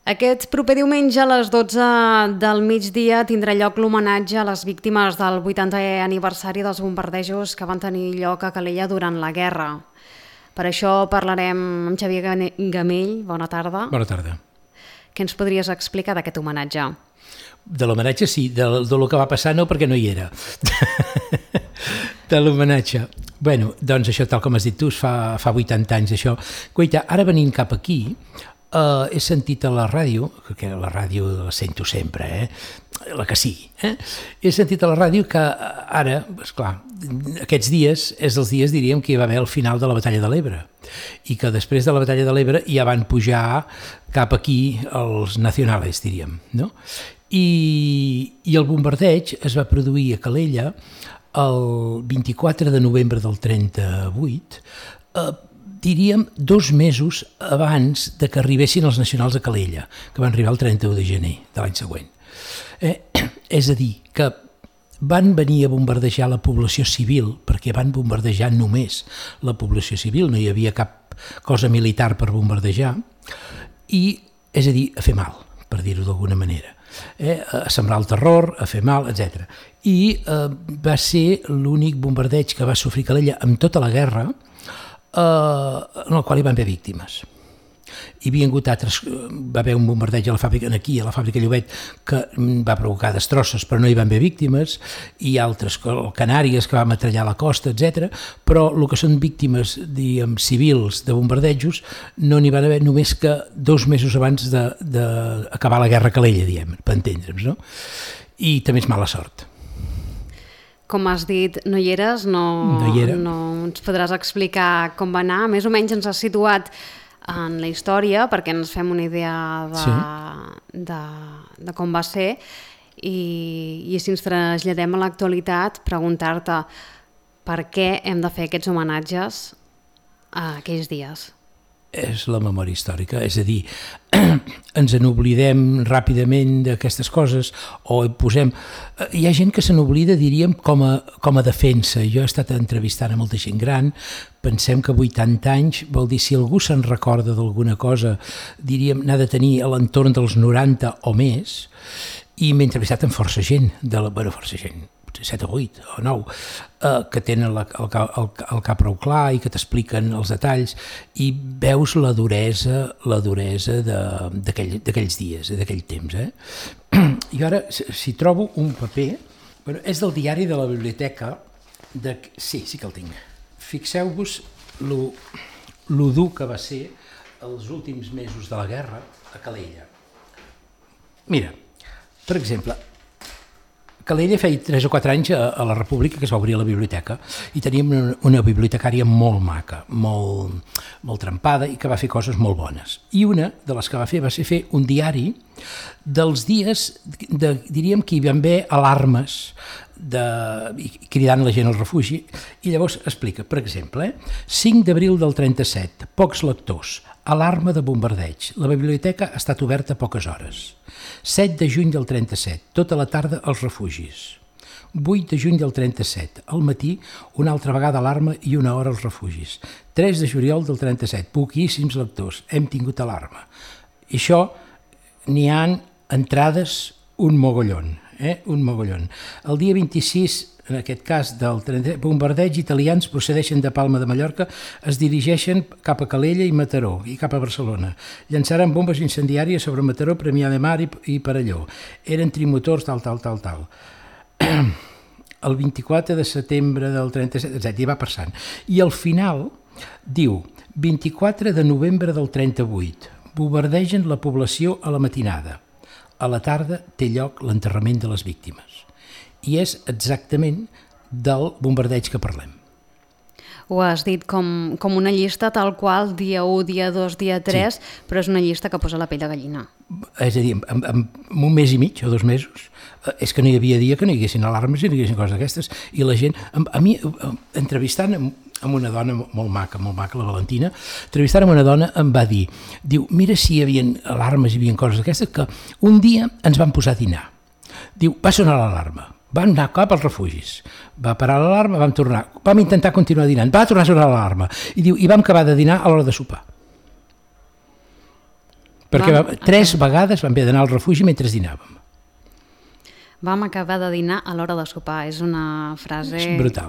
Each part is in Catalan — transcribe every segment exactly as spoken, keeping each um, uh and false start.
Aquest proper diumenge a les dotze del migdia tindrà lloc l'homenatge a les víctimes del vuitantè aniversari dels bombardejos que van tenir lloc a Calella durant la guerra. Per això parlarem amb Xavier Gamell. Bona tarda. Bona tarda. Què ens podries explicar d'aquest homenatge? De l'homenatge sí, de, de lo que va passar no, perquè no hi era. De l'homenatge. Bueno, doncs això, tal com has dit tu, fa, fa vuitanta anys això. Guaita, ara venint cap aquí, uh, he sentit a la ràdio, que la ràdio la sento sempre, eh? La que sigui, eh? He sentit a la ràdio que ara, esclar, aquests dies és els dies, diríem, que hi va haver el final de la batalla de l'Ebre i que després de la batalla de l'Ebre ja van pujar cap aquí els nacionales, diríem, no? I, i el bombardeig es va produir a Calella el vint-i-quatre de novembre del trenta-vuit, eh, diríem dos mesos abans de que arribessin els nacionals a Calella, que van arribar el trenta-u de gener de l'any següent. Eh, és a dir, que van venir a bombardejar la població civil, perquè van bombardejar només la població civil, no hi havia cap cosa militar per bombardejar, i, és a dir, a fer mal, per dir-ho d'alguna manera. Eh, a sembrar el terror, a fer mal, etcètera. I eh, va ser l'únic bombardeig que va sofrir Calella amb tota la guerra, eh, en el qual hi van haver víctimes. Hi havia hagut altres, va haver un bombardeig a la fàbrica, aquí, a la fàbrica Llobet, que va provocar destrosses, però no hi van haver víctimes, i altres, Canàries, que va metrallar la costa, etcètera. Però el que són víctimes, diguem, civils de bombardejos, no n'hi van haver només que dos mesos abans d'acabar la guerra a Calella, diguem, per entendre'ns, no? I també és mala sort. Com has dit, no hi eres, no, no, hi era. no ens podràs explicar com va anar. Més o menys ens has situat en la història perquè ens fem una idea de, sí. de, de com va ser i, i si ens traslladem a l'actualitat, preguntar-te per què hem de fer aquests homenatges a aquells dies. És la memòria històrica, és a dir, ens n'oblidem ràpidament d'aquestes coses o hi posem... Hi ha gent que se n'oblida, diríem, com a, com a defensa. Jo he estat entrevistant a molta gent gran, pensem que vuitanta anys vol dir si algú se'n recorda d'alguna cosa, diríem, n'ha de tenir a l'entorn dels noranta o més, i m'he entrevistat amb força gent, de la, bueno, força gent, set o vuit o nou, eh, que tenen la, el, el, el cap prou clar i que t'expliquen els detalls i veus la duresa, la duresa d'aquells aquell, dies, d'aquell temps. Eh? I ara, si trobo un paper, bueno, és del diari de la biblioteca, de, sí, sí que el tinc. Fixeu-vos lo, lo dur que va ser els últims mesos de la guerra a Calella. Mira, per exemple, Calella feia tres o quatre anys a, a la República que es va obrir la biblioteca i teníem una, una bibliotecària molt maca, molt, molt trempada i que va fer coses molt bones. I una de les que va fer va ser fer un diari dels dies, de, diríem que hi van haver alarmes de, cridant la gent al refugi i llavors explica, per exemple, eh, cinc d'abril del trenta-set, pocs lectors, alarma de bombardeig, la biblioteca ha estat oberta poques hores. set de juny del trenta-set, tota la tarda als refugis. vuit de juny del trenta-set, al matí, una altra vegada alarma i una hora als refugis. tres de juliol del trenta-set, poquíssims lectors, hem tingut alarma. I això, n'hi ha entrades un mogollon, eh? un mogollon. El dia vint-i-sis, en aquest cas del trenta, bombardeig italians procedeixen de Palma de Mallorca, es dirigeixen cap a Calella i Mataró i cap a Barcelona. Llançaran bombes incendiàries sobre Mataró, Premià de Mar i, i Perelló. Eren trimotors, tal, tal, tal, tal. El vint-i-quatre de setembre del trenta-set, etcètera, i va passant. I al final diu, vint-i-quatre de novembre del trenta-vuit, bombardegen la població a la matinada. A la tarda té lloc l'enterrament de les víctimes. I és exactament del bombardeig que parlem. Ho has dit com, com una llista tal qual, dia u, dia dos, dia tres, sí. Però és una llista que posa la pell de gallina. És a dir, en, en, en un mes i mig o dos mesos, és que no hi havia dia que no hi haguessin alarmes i no hi haguessin coses d'aquestes, i la gent, a, a mi, entrevistant amb, amb una dona molt maca, molt maca, la Valentina, entrevistant amb una dona em va dir, diu, mira si hi havia alarmes, hi havia coses d'aquestes, que un dia ens van posar a dinar. Diu, va sonar l'alarma. Vam anar cap als refugis, va parar l'alarma, vam tornar, vam intentar continuar dinant, va tornar a sonar l'alarma, i diu, i vam acabar de dinar a l'hora de sopar. Perquè vam, tres okay. vegades vam haver d'anar al refugi mentre dinàvem. Vam acabar de dinar a l'hora de sopar. És una frase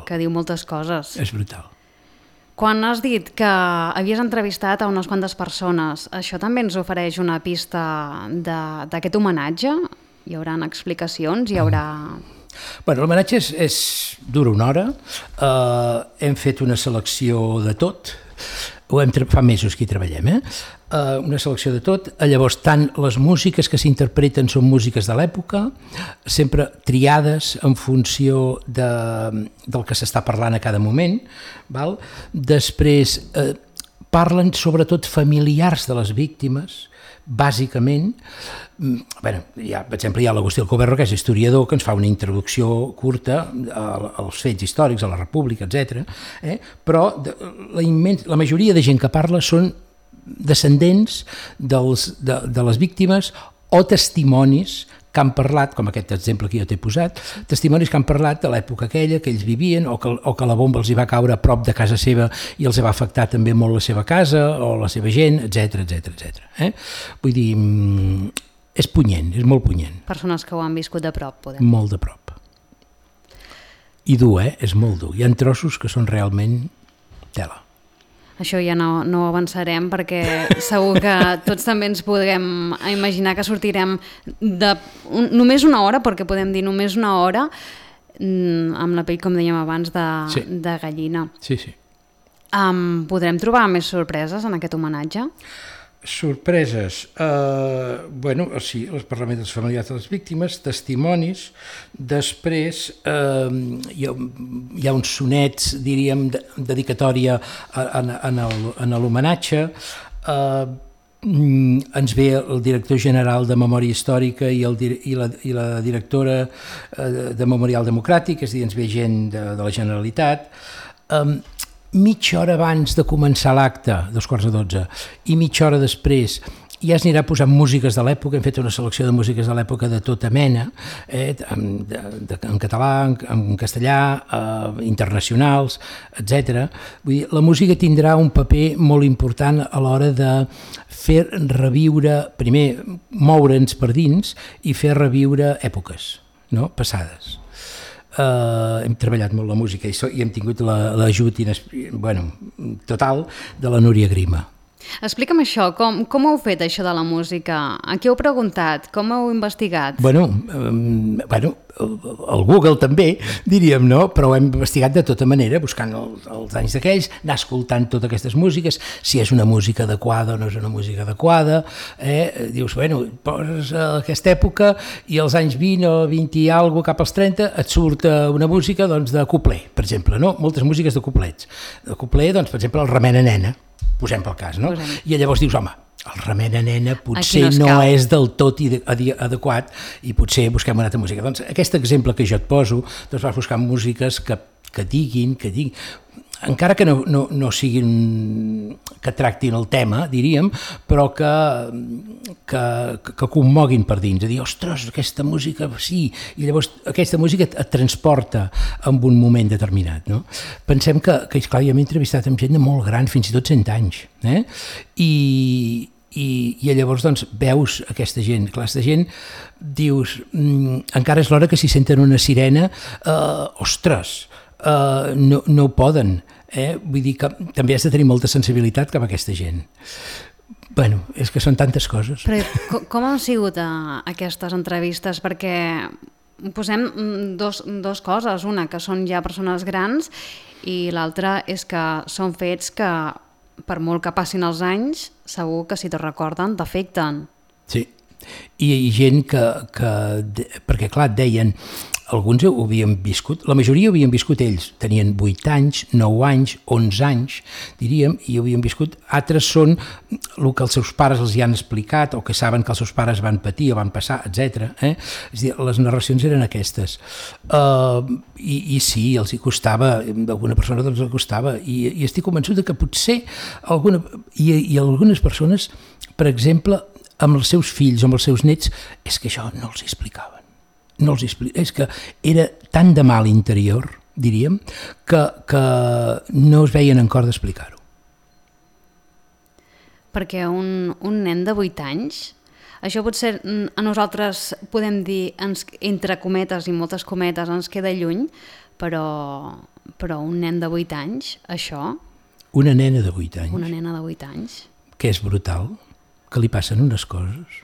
que diu moltes coses. És brutal. Quan has dit que havies entrevistat a unes quantes persones, això també ens ofereix una pista d'aquest homenatge? Hi haurà explicacions? Hi haurà... Bueno, l'homenatge és, és, dura una hora. Uh, hem fet una selecció de tot. Ho hem, fa mesos que hi treballem, eh? Uh, una selecció de tot. Llavors, tant les músiques que s'interpreten són músiques de l'època, sempre triades en funció de, del que s'està parlant a cada moment. Val? Després, uh, parlen sobretot familiars de les víctimes, bàsicament. Bueno, hi ha, per exemple, hi ha l'Agustí Alcoberro, que és historiador, que ens fa una introducció curta als fets històrics, a la República, etcètera. Eh? Però la, immens, la majoria de gent que parla són descendents dels, de, de les víctimes o testimonis que han parlat, com aquest exemple que jo t'he posat, testimonis que han parlat de l'època aquella que ells vivien o que, o que la bomba els hi va caure a prop de casa seva i els va afectar també molt la seva casa o la seva gent, etcètera, etcètera, etcètera. Eh? Vull dir, és punyent, és molt punyent. Persones que ho han viscut de prop, podem. Molt de prop. I dur, eh? És molt dur. Hi ha trossos que són realment tela. Això ja no, no avançarem perquè segur que tots també ens podem imaginar que sortirem de un, només una hora, perquè podem dir només una hora, amb la pell, com dèiem abans, de, sí. de gallina. Sí, sí. Um, podrem trobar més sorpreses en aquest homenatge? Sorpreses, eh, bueno, sí, els parlaments dels familiars de les víctimes, testimonis, després eh, hi, ha, hi ha uns sonets, diríem, de, dedicatòria en, en, en l'homenatge, eh, ens ve el director general de Memòria Històrica i, el, i, la, i la directora de Memorial Democràtic, és a dir, ens ve gent de, de la Generalitat. Eh, mitja hora abans de començar l'acte, dos quarts de dotze, i mitja hora després ja es anirà posant músiques de l'època. Hem fet una selecció de músiques de l'època de tota mena, eh, en, de, de, en català, en, en castellà, eh, internacionals, etcètera. Vull dir, la música tindrà un paper molt important a l'hora de fer reviure, primer moure'ns per dins i fer reviure èpoques, no? Passades. Uh, hem treballat molt la música i, so, i hem tingut l'ajut bueno, total de la Núria Grima. Explica'm això, com, com heu fet això de la música? A qui heu preguntat? Com heu investigat? Bueno, um, bueno, el Google també, diríem, no? Però ho hem investigat de tota manera, buscant els, els anys d'aquells, anar escoltant totes aquestes músiques, si és una música adequada o no és una música adequada. Eh? Dius, bueno, poses aquesta època i als anys vint o vint i alguna cap als trenta et surt una música doncs, de couplet, per exemple, no? Moltes músiques de couplets. De couplet, doncs, per exemple, el Remena Nena, posem pel cas, no? Posem. I llavors dius, home, el Remena Nena potser no, no és del tot adequat i potser busquem una altra música. Doncs aquest exemple que jo et poso, doncs vas buscar músiques que, que diguin, que diguin, encara que no, no, no siguin, que tractin el tema, diríem, però que, que, que commoguin per dins, a dir, ostres, aquesta música, sí, i llavors aquesta música et, et transporta en un moment determinat, no? Pensem que, que esclar, ja m'he entrevistat amb gent de molt gran, fins i tot cent anys, eh? I, i, i llavors doncs, veus aquesta gent, aquesta gent, dius, mm, encara és l'hora que si senten una sirena, eh, ostres, Uh, no, no ho poden, eh? Vull dir que també has de tenir molta sensibilitat cap a aquesta gent. Bueno, és que són tantes coses. Però com, com han sigut uh, aquestes entrevistes? Perquè posem dos, dos coses, una que són ja persones grans i l'altra és que són fets que per molt que passin els anys segur que si te recorden t'afecten. Sí, i hi ha gent que, que perquè clar, et deien, alguns ho havien viscut, la majoria ho havien viscut ells, tenien vuit anys, nou anys, onze anys, diríem, i ho havien viscut. Altres són el que els seus pares els hi han explicat o que saben que els seus pares van patir o van passar, etcètera. Eh? És a dir, les narracions eren aquestes. Uh, i, I sí, els hi costava, alguna persona els hi costava, i, i estic convençut que potser alguna, i, i algunes persones, per exemple, amb els seus fills o amb els seus nets, és que això no els explicaven. No els explica. És que era tan de mal interior, diríem, que, que no es veien en cor d'explicar-ho. perquè un, un nen de vuit anys, això potser a nosaltres podem dir, ens, entre cometes i moltes cometes, ens queda lluny, però, però un nen de vuit anys, això... Una nena de vuit anys. Una nena de vuit anys. Que és brutal, que li passen unes coses.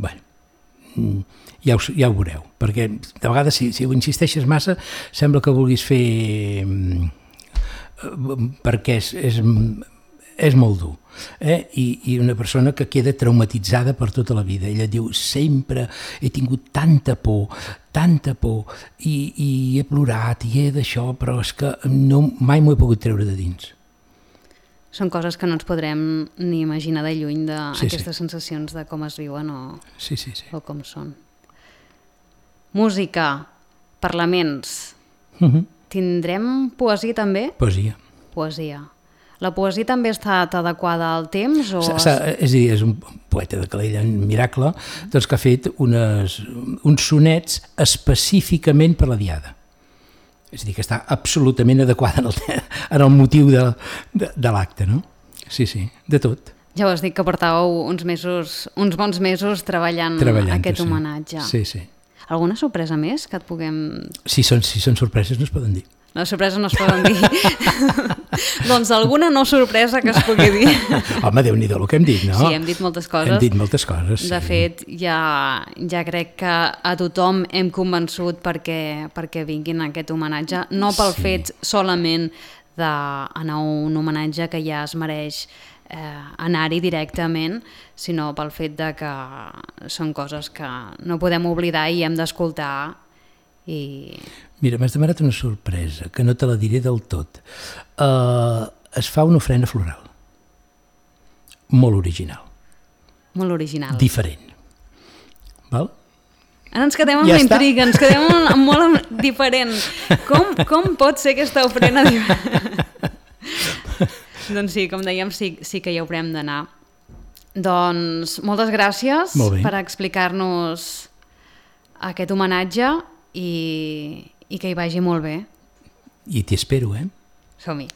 Bé, ja ho, ja ho veureu, perquè de vegades si, si ho insisteixes massa sembla que vulguis fer... perquè és, és, és molt dur. Eh? I, I una persona que queda traumatitzada per tota la vida. Ella diu, sempre he tingut tanta por, tanta por, i, i he plorat, i he d'això, però és que no, mai m'ho he pogut treure de dins. Són coses que no ens podrem ni imaginar de lluny d'aquestes sí, sí. sensacions de com es viuen o, sí, sí, sí. o com són. Música, parlaments. Uh-huh. Tindrem poesia també? Poesia. Poesia. La poesia també ha estat adequada al temps? O... S -s és a dir, és un poeta de Calella, un miracle, doncs que ha fet unes, uns sonets específicament per la Diada. És a dir, que està absolutament adequada en el, en el motiu de, de, de l'acte, no? Sí, sí, de tot. Ja ho has dit, que portàveu uns mesos, uns bons mesos treballant, treballant aquest sí. homenatge. Sí, sí. Alguna sorpresa més que et puguem... Si són, si són sorpreses no es poden dir. Les sorpreses no es poden dir. Doncs alguna no sorpresa que es pugui dir. Home, Déu-n'hi-do el que hem dit, no? Sí, hem dit moltes coses. Hem dit moltes coses, sí. De fet, ja, ja crec que a tothom hem convençut perquè, perquè vinguin a aquest homenatge, no pel sí. fet solament d'anar a un homenatge que ja es mereix eh, anar-hi directament, sinó pel fet de que són coses que no podem oblidar i hem d'escoltar. I... Mira, m'has demanat una sorpresa, que no te la diré del tot. Uh, es fa una ofrena floral. Molt original. Molt original. Diferent. Val? Ara ens quedem amb ja la intriga, ens quedem amb, amb molt diferent. Com, com pot ser aquesta ofrena diferent? Doncs sí, com dèiem, sí, sí que hi haurem d'anar. Doncs moltes gràcies per explicar-nos aquest homenatge i, i que hi vagi molt bé. I t'hi espero, eh? Som-hi.